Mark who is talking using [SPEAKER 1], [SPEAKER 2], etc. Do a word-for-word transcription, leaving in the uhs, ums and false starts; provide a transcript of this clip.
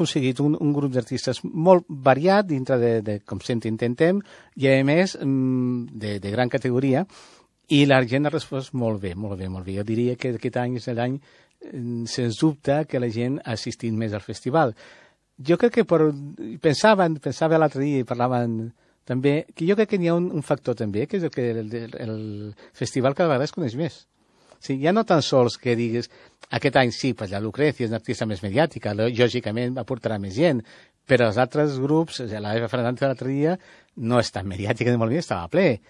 [SPEAKER 1] aconseguit un, un grup d'artistes molt variat dintre de, de com sempre intentem, i a més de, de gran categoria, i la gent ha respost molt bé, molt bé, molt bé. Jo diria que aquest any és l'any, sens dubte, que la gent ha assistit més al festival. Jo crec que per, pensaven, pensava l'altre dia i parlaven també, que jo crec que n'hi ha un, un factor també, que és el que el, el, el festival cada vegada es coneix més. Sí, ja no tan sols que digues, aquest any sí, pues la Lucrecia és una artista més mediàtica, lògicament aportarà més gent, però els altres grups, la Eva Fernández l'altre dia, no és tan mediàtica ni molt bé, estava ple.